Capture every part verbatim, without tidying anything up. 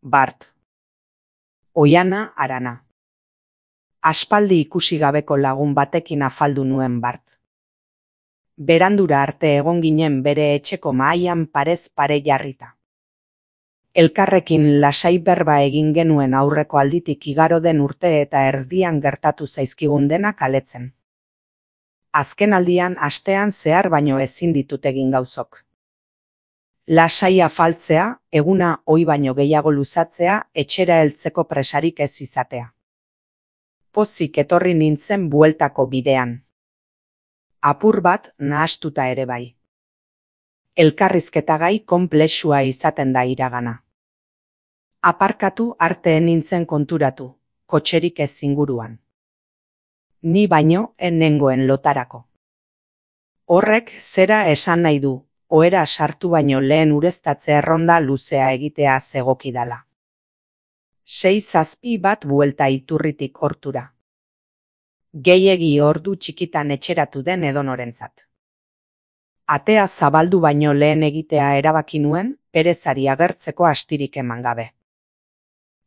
Bart. Oiana Arana. Aspaldi ikusi gabeko lagun batekin afaldu nuen Bart. Berandura arte egon ginen bere etxeko mahaian parez pare jarrita. Elkarrekin lasai berba egin genuen aurreko alditik igaro den urte eta erdian gertatu zaizkigun denak aletzen. Azken aldian astean zehar baino ezin ditut egin gauzok. Lasai afaltzea, eguna ohi baino gehiago luzatzea, etxera heltzeko presarik ez izatea. Pozik etorri nintzen bueltako bidean. Apur bat nahastuta ere bai. Elkarrizketagai konplexua izaten da iragana. Aparkatu arte nintzen konturatu, kotxerik ez inguruan. Ni baino ez nengoen lotarako. Horrek zera esan nahi du, ohera sartu baino lehen ureztatze erronda luzea egitea zegokidala. Sei zazpi bat buelta iturritik hortura. Gehiegi ordu txikitan etxeratu den edonorentzat. Atea zabaldu baino lehen egitea erabaki nuen, perezari agertzeko astirik eman gabe.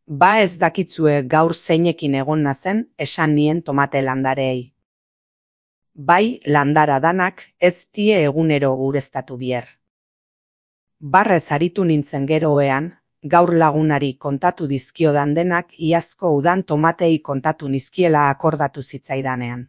Ba ez dakitzue gaur zeinekin egon nazen, esan nien tomate landareei. Bai, landara danak, ez tie egunero ureztatu bier. Barrez aritu nintzen geroean, gaur lagunari kontatu dizkiodan denak iazko udan tomatei kontatu nizkiela akordatu zitzaidanean.